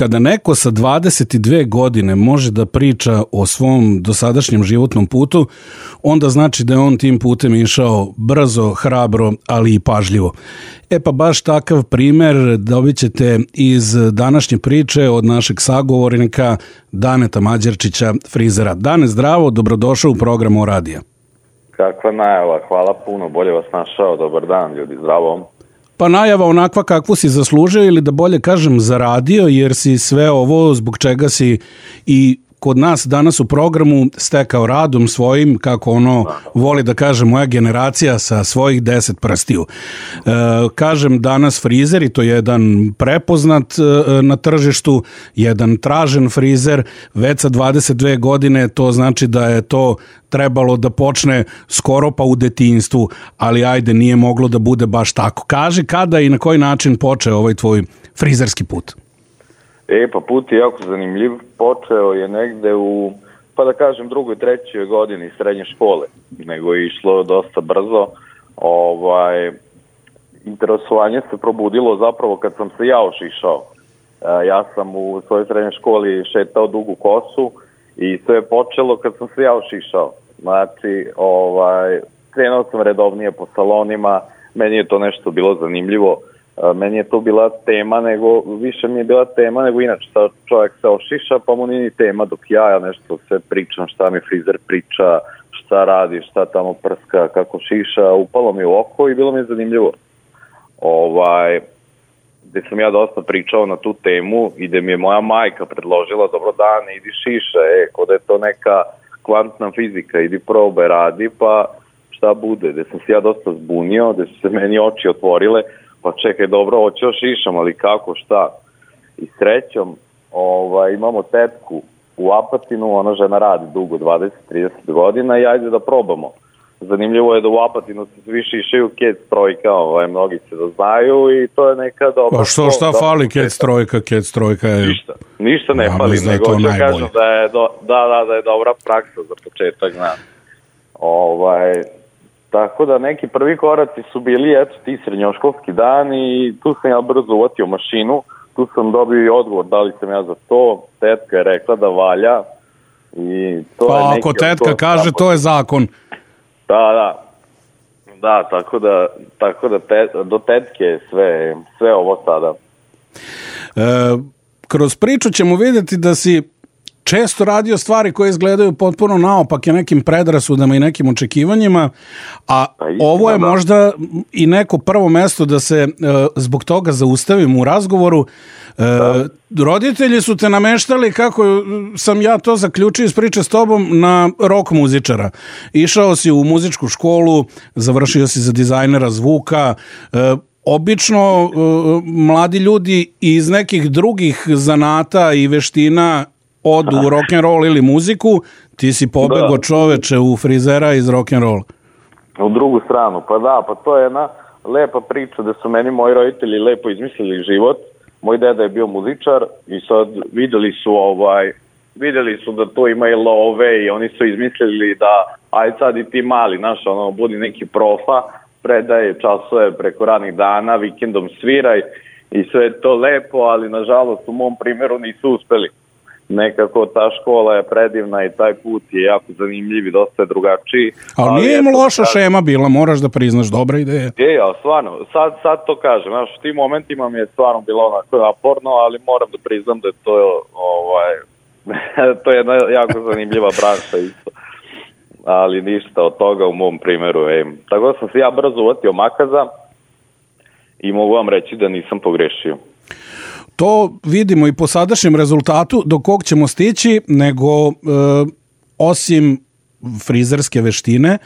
Kada neko sa 22 godine može da priča o svom dosadašnjem životnom putu, onda znači da je on tim putem išao brzo, hrabro, ali i pažljivo. E pa baš takav primer dobit ćete iz današnje priče od našeg sagovornika Daneta Mađerčića, frizera. Dane, zdravo, dobrodošao u programu Radija. Kakva najava, hvala puno, bolje vas našao, dobar dan ljudi, zdravo. Pa najava onakva kakvu si zaslužio ili da bolje kažem zaradio, jer si sve ovo zbog čega si i kod nas danas u programu stekao radom svojim, kako ono voli da kaže moja generacija, sa svojih 10 prstiju. Kažem danas frizer i to je jedan prepoznat na tržištu, jedan tražen frizer, već sa 22 godine, to znači da je to trebalo da počne skoro pa u detinjstvu, ali ajde, nije moglo da bude baš tako. Kaži kada i na koji način počeo ovaj tvoj frizerski put? Pa put je jako zanimljiv. Počeo je negde u, pa da kažem, drugoj, trećoj godini srednje škole, nego je išlo dosta brzo. Interesovanje se probudilo zapravo kad sam se ja ošišao. Ja sam u svojoj srednjoj školi šetao dugu kosu i to je počelo kad sam se ja ošišao. Znači, krenuo sam redovnije po salonima, meni je to nešto bilo zanimljivo. Meni je to bila tema, više mi je bila tema nego inače. Čovjek se ošiša, pa mu nije ni tema, dok ja nešto sve pričam, šta mi frizer priča, šta radi, šta tamo prska, kako šiša, upalo mi u oko i bilo mi je zanimljivo. Gde sam ja dosta pričao na tu temu i gde mi je moja majka predložila, dobro dane, idi šiša, kod je to neka kvantna fizika, idi probaj, radi, pa šta bude. Gde sam se ja dosta zbunio, gde su se meni oči otvorile, pa čekaj, dobro, hoću šišam, ali kako, šta? I srećom, imamo tetku u Apatinu, ona žena radi dugo, 20-30 godina i ajde da probamo. Zanimljivo je da u Apatinu se svi šišaju Kec trojka, mnogi se da znaju i to je neka dobra... Pa šta fali Kec trojka je... Ništa ne fali, nego ću kažem da je dobra praksa za početak, znam. Tako da neki prvi koraci su bili, ti srednjoškolski dan i tu sam ja brzo uvatio mašinu, tu sam dobio i odgovor da li sam ja za to, tetka je rekla da valja. I to pa je ako tetka kaže, to je zakon. Da, tako da do tetke je sve ovo sada. Kroz priču ćemo vidjeti da si često radio stvari koje izgledaju potpuno naopake nekim predrasudama i nekim očekivanjima, a ovo je možda i neko prvo mesto da se zbog toga zaustavimo u razgovoru. Roditelji su te nameštali, kako sam ja to zaključio iz priče s tobom, na rock muzičara. Išao si u muzičku školu, završio si za dizajnera zvuka. Obično mladi ljudi iz nekih drugih zanata i veština odu u rock'n'roll ili muziku, ti si pobegao čoveče u frizera iz rock'n'roll. U drugu stranu, pa to je jedna lepa priča da su meni moji roditelji lepo izmislili život. Moj deda je bio muzičar i sad videli su da to ima i love i oni su izmislili da aj sad i ti mali, budi neki profa, predaje časove preko ranih dana, vikendom sviraj i sve je to lepo, ali nažalost u mom primjeru nisu uspeli. Nekako ta škola je predivna i taj put je jako zanimljiv i dosta je drugačiji. Ali nije im loša šema bila, moraš da priznaš, dobra ideja. Ali stvarno, sad to kažem, u tim momentima mi je stvarno bilo onako naporno, ali moram da priznam da je to je jedna jako zanimljiva branša isto. Ali ništa od toga u mom primjeru. Tako da sam se ja brzo uvatio makaza i mogu vam reći da nisam pogrešio. To vidimo i po sadašnjem rezultatu do kog ćemo stići, nego osim frizerske veštine,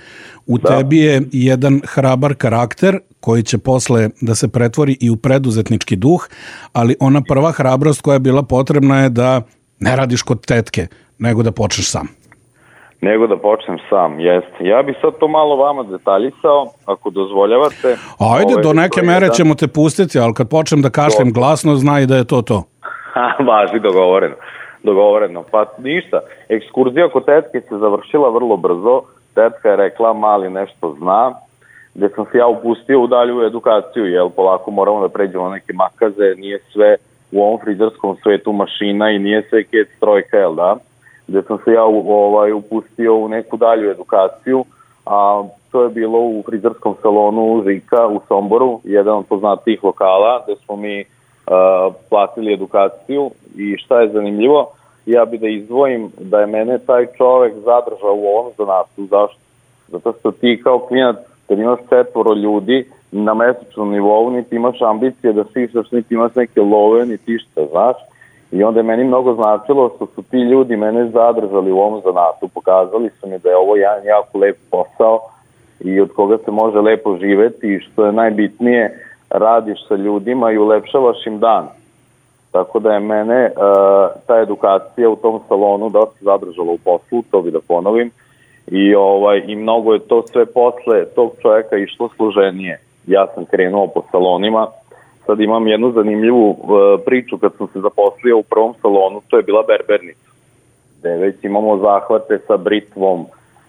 u tebi je jedan hrabar karakter koji će posle da se pretvori i u preduzetnički duh, ali ona prva hrabrost koja je bila potrebna je da ne radiš kod tetke, nego da počneš sam. Jeste. Ja bih sad to malo vama detaljisao, ako dozvoljavate. Ajde, do neke mere ćemo te pustiti, ali kad počnem da kašljem glasno, znaj da je to. Važi, dogovoreno. Pa ništa, ekskurzija kod tetke se završila vrlo brzo. Tetka je rekla, mali nešto zna, gde sam se ja upustio u dalju edukaciju, polako moramo da pređemo neke makaze, nije sve u ovom frizerskom svetu mašina i nije sve kec trojka, jel da? Gde sam se ja upustio u neku dalju edukaciju, a to je bilo u frizerskom salonu Žika u Somboru, jedan od poznatijih lokala, gde smo mi platili edukaciju. I šta je zanimljivo, ja bi da izdvojim da je mene taj čovek zadržao u ovom zanatu. Zašto? Zato što ti kao klinac, kad imaš 4 ljudi na mesečnom nivou, niti imaš ambicije da šišaš, niti imaš neke love, niti šta, znaš. I onda je meni mnogo značilo što su ti ljudi mene zadržali u ovom zanatu. Pokazali su mi da je ovo jedan jako lep posao i od koga se može lepo živeti i što je najbitnije, radiš sa ljudima i ulepšavaš im dan. Tako da je mene ta edukacija u tom salonu dosta zadržala u poslu, to bi da ponovim. I mnogo je to sve posle tog čovjeka išlo složenije. Ja sam krenuo po salonima. Sad imam jednu zanimljivu priču kad sam se zaposlio u prvom salonu, to je bila berbernica. Gde već imamo zahvate sa britvom,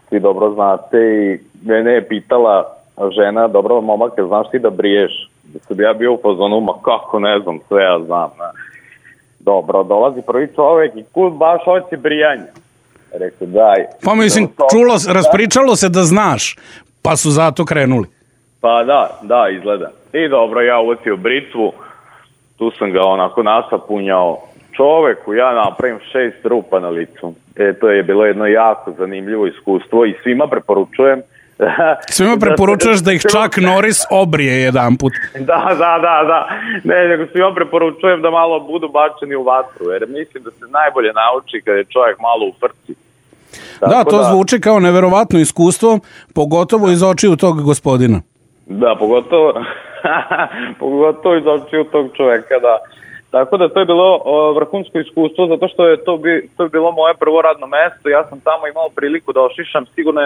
svi dobro znate, i mene je pitala žena, dobro momake, znaš ti da briješ? Da sam ja bio u fazonu, ma kako ne znam, sve ja znam. Ne? Dobro, dolazi prvi čovjek i kud baš hoće brijanje. Rekao, daj. Pa mislim, raspričalo se da znaš, pa su zato krenuli. Pa da, izgleda. I dobro, ja uvatio britvu, tu sam ga onako nasapunjao čoveku, ja napravim 6 rupa na licu. To je bilo jedno jako zanimljivo iskustvo i svima preporučujem. Svima preporučuješ da ih čak Norris obrije jedan put. Da. Ne, nego svima preporučujem da malo budu bačeni u vatru, jer mislim da se najbolje nauči kada je čovjek malo u frci. Da, to zvuči kao neverovatno iskustvo, pogotovo iz očiju tog gospodina. Da, pogotovo iz očiju tog čoveka, da. Tako da to je bilo vrhunsko iskustvo, zato što je to bilo moje prvo radno mesto. Ja sam tamo imao priliku da ošišam sigurno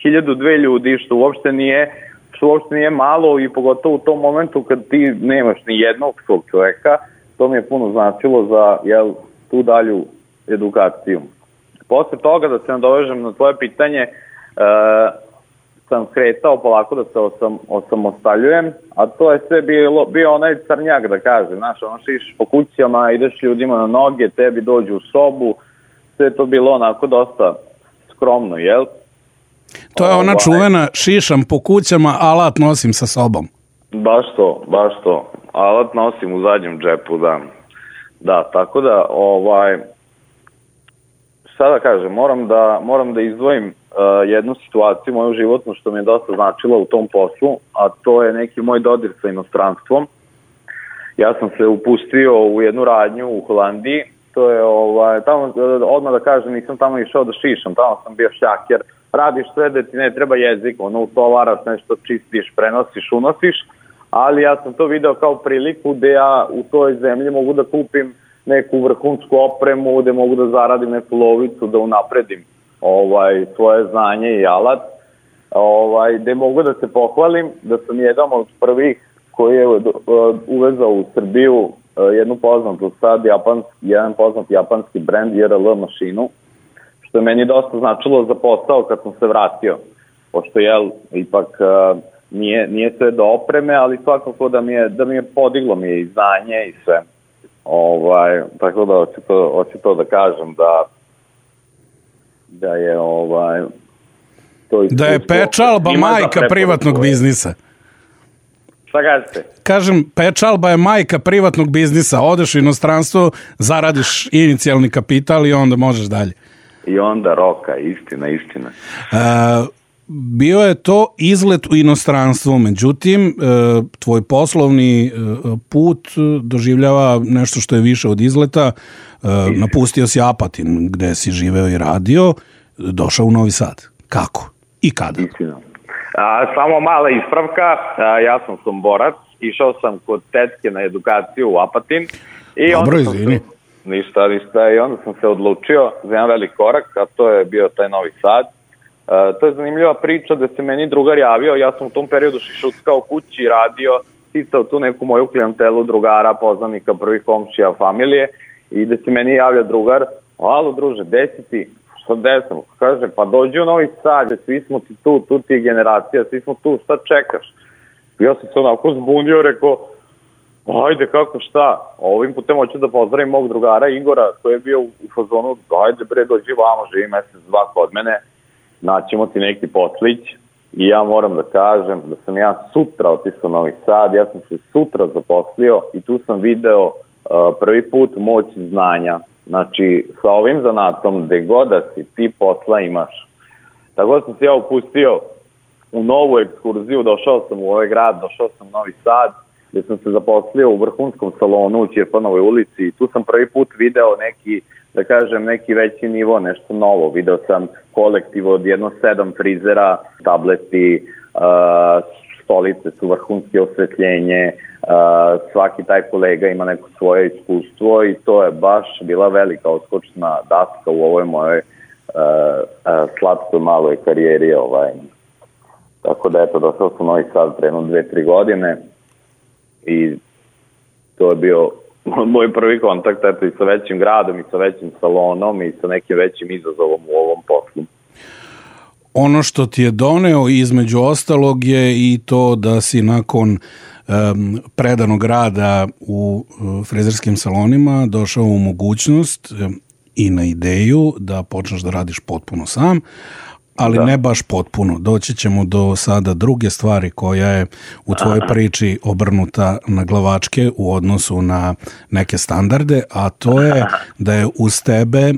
1000-2 ljudi, što uopšte nije malo, i pogotovo u tom momentu kad ti nemaš ni jednog svog čoveka, to mi je puno značilo za tu dalju edukaciju. Posle toga, da se nadovežem na tvoje pitanje, sam kretao polako da se osamostaljujem, a to je sve bio onaj crnjak, da kažem, znaš, ono šiš po kućama, ideš ljudima na noge, tebi dođu u sobu, sve to bilo onako dosta skromno, jel? To je ona čuvena šišam po kućama, alat nosim sa sobom. Baš to, alat nosim u zadnjem džepu, da. Da, tako da, šta da kažem, moram da izdvojim jednu situaciju moju životnu što mi je dosta značila u tom poslu, a to je neki moj dodir sa inostranstvom. Ja sam se upustio u jednu radnju u Holandiji, to je tamo, odmah da kažem, nisam tamo išao da šišam, tamo sam bio šljaker, radiš sve da ti ne treba jezik, utovaraš nešto, čistiš, prenosiš, unosiš, ali ja sam to video kao priliku gde ja u toj zemlji mogu da kupim neku vrhunsku opremu, gde mogu da zaradim neku lovicu, da unapredim svoje znanje i alat, gde mogu da se pohvalim da sam jedan od prvih koji je uvezao u Srbiju jednu poznatu sad jedan poznat japanski brend JRL mašinu, što je meni dosta značilo za posao kad sam se vratio, pošto ipak nije sve do opreme, ali svakako da mi je podiglo mi je i znanje i sve. Tako da hoću to da kažem da je to iskustvo. Da je pečalba majka privatnog biznisa. Šta kažete? Kažem, pečalba je majka privatnog biznisa. Odeš u inostranstvo, zaradiš inicijalni kapital i onda možeš dalje. I onda roka, istina. Bio je to izlet u inostranstvo, međutim, tvoj poslovni put doživljava nešto što je više od izleta. Napustio si Apatin, gde si živeo i radio, došao u Novi Sad. Kako i kada? Istina. Samo mala ispravka, ja sam Somborac, išao sam kod tetke na edukaciju u Apatin. Dobro, izvini. Ništa, i onda sam se odlučio za jedan velik korak, a to je bio taj Novi Sad. To je zanimljiva priča da se meni drugar javio, ja sam u tom periodu šišuckao kući, radio, sticao tu neku moju klijentelu drugara, poznanika, prvih komšija, familije, i da se meni javlja drugar, alo druže, gde si ti? Šta desam? Kaže, pa dođi u Novi Sad, svi smo ti tu ti je generacija, svi smo tu, šta čekaš? Ja sam se onako zbunio, rekao, Ajde, kako šta, ovim putem hoću da pozdravim mog drugara Igora koji je bio u fazonu, ajde bre, dođi vamo, živi mesec, dva kod mene, naćemo ti neki poslić i ja moram da kažem da sam ja sutra otišao u Novi Sad, ja sam se sutra zaposlio i tu sam video prvi put moć znanja. Znači, sa ovim zanatom, gde god da si, ti posla imaš. Tako da sam se ja upustio u novu ekskurziju, došao sam u ovaj grad, došao sam u Novi Sad, gde sam se zaposlio u vrhunskom salonu u Ćirpanovoj ulici i tu sam prvi put video neki, da kažem, neki veći nivo, nešto novo. Video sam kolektiv od 7 frizera, tableti, stolice su vrhunske osvetljenje, svaki taj kolega ima neko svoje iskustvo i to je baš bila velika odskočna daska u ovoj mojoj slatkoj maloj karijeri. Tako da eto, došao sam u Novi Sad pre 2-3 godine i to je bio moj prvi kontakt eto, i sa većim gradom i sa većim salonom i sa nekim većim izazovom u ovom poslu. Ono što ti je doneo između ostalog je i to da si nakon predanog rada u frizerskim salonima došao u mogućnost i na ideju da počneš da radiš potpuno sam, ali ne baš potpuno. Doći ćemo do sada druge stvari koja je u tvojoj priči obrnuta na glavačke u odnosu na neke standarde, a to je da je uz tebe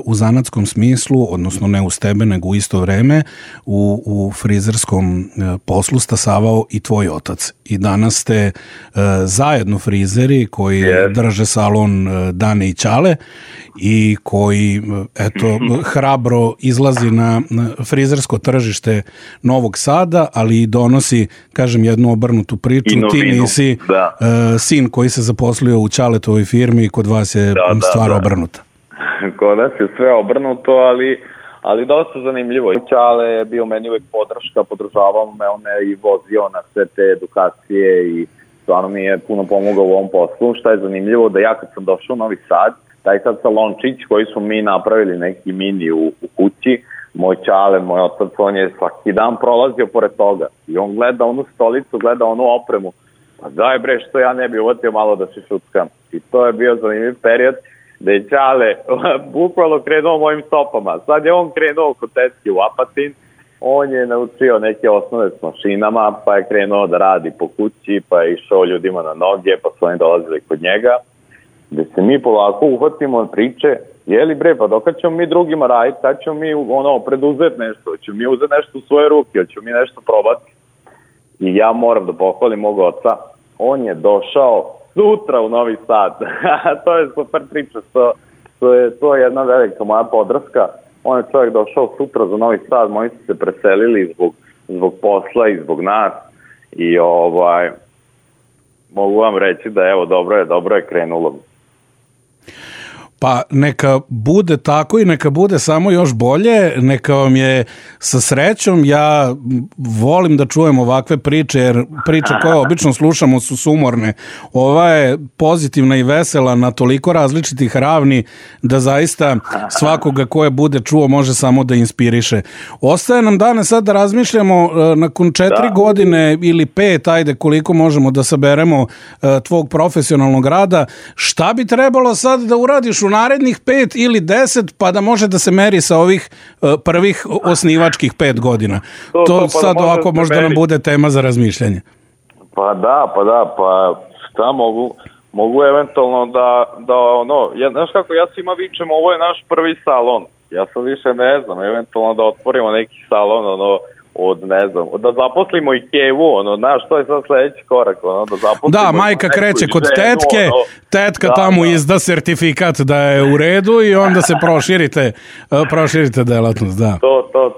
u zanatskom smislu, odnosno ne uz tebe, nego u isto vreme u frizerskom poslu stasavao i tvoj otac. I danas ste zajedno frizeri koji drže salon Dane i Ćale i koji hrabro izlazi na frizersko tržište Novog Sada, ali i donosi, kažem, jednu obrnutu priču. Ti nisi sin koji se zaposlio u Ćaletovoj firmi i kod vas je stvar obrnuta. Kod nas je sve obrnuto, ali dosta zanimljivo. Ćale je bio meni uvek podrška, podržavao me, on me i vozio na sve te edukacije i stvarno mi je puno pomogao u ovom poslu. Šta je zanimljivo, da ja kad sam došao u Novi Sad, taj sad salončić koji su mi napravili neki mini u kući, moj Ćale, moj otac, on je svaki dan prolazio pored toga i on gleda onu stolicu, gleda onu opremu, pa daj bre, što ja ne bi uvatio malo da se šuckam. I to je bio zanimljiv period da je Ćale bukvalno krenuo mojim stopama. Sad je on krenuo kod tetke u Apatin, on je naučio neke osnove s mašinama, pa je krenuo da radi po kući, pa je išao ljudima na noge, pa su oni dolazili kod njega, gde se mi polako uhvatimo priče, jeli bre, pa dok ćemo mi drugima raditi, sad ćemo mi preduzeti nešto, ćemo mi uzeti nešto u svoje ruke, ćemo mi nešto probati. I ja moram da pohvalim mog oca, on je došao sutra u Novi Sad. To je super priča, to je jedna velika moja podrška. On je čovjek došao sutra za Novi Sad, moji su se preselili zbog posla i zbog nas i mogu vam reći da evo, dobro je krenulo. Pa neka bude tako i neka bude samo još bolje, neka vam je sa srećom. Ja volim da čujem ovakve priče, jer priče koje obično slušamo su sumorne. Ova je pozitivna i vesela na toliko različitih ravni da zaista svakoga koje bude čuo može samo da inspiriše. Ostaje nam danas sad da razmišljamo nakon 4 godine ili 5, ajde koliko možemo da saberemo tvog profesionalnog rada, šta bi trebalo sad da uradiš u narednih 5 ili 10, pa da može da se meri sa ovih prvih osnivačkih 5 godina. To sad ovako možda nam bude tema za razmišljanje. Pa šta mogu eventualno znaš kako, ja svima vičem, ovo je naš prvi salon. Ja sad više ne znam, eventualno da otvorimo neki salon, da zaposlimo i Kevu, znaš, to je sad sledeći korak, da zaposlimo. Da, majka kreće kod tetke, tetka tamo izda sertifikat da je u redu i onda se proširite delatnost, da.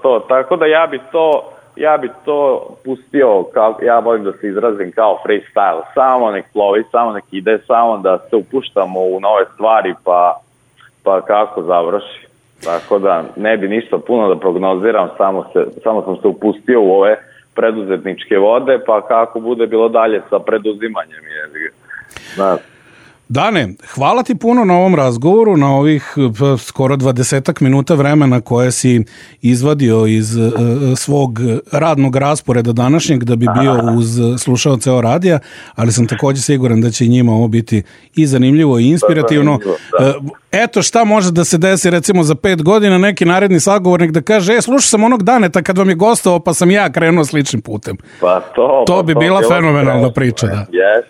To, tako da ja bi to pustio, ja volim da se izrazim kao freestyle, samo nek plovi, samo nek ide, samo da se upuštamo u nove stvari, pa kako završi. Tako da ne bi ništa puno da prognoziram, samo sam se upustio u ove preduzetničke vode, pa kako bude bilo dalje sa preduzimanjem. Dane, hvala ti puno na ovom razgovoru, na ovih skoro 20 minuta vremena koje si izvadio iz svog radnog rasporeda današnjeg da bi bio uz slušaoce o radija, ali sam također siguran da će njima ovo biti i zanimljivo i inspirativno. Eto šta može da se desi recimo za 5 godina, neki naredni sagovornik da kaže, slušao sam onog Daneta kad vam je gostovao pa sam ja krenuo sličnim putem. To bi bila fenomenalna priča. Da. Yes.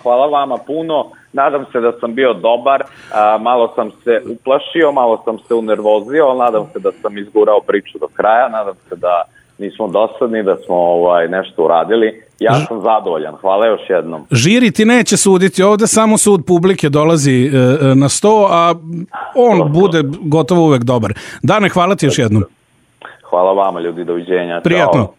Hvala vama puno. Nadam se da sam bio dobar, malo sam se uplašio, malo sam se unervozio, ali nadam se da sam izgurao priču do kraja, nadam se da nismo dosadni, da smo nešto uradili. Ja sam zadovoljan, hvala još jednom. Žiri ti neće suditi, ovde samo sud publike dolazi na sto, a on bude gotovo uvek dobar. Dane, hvala ti još jednom. Hvala vama ljudi, doviđenja. Prijatno. Ćao.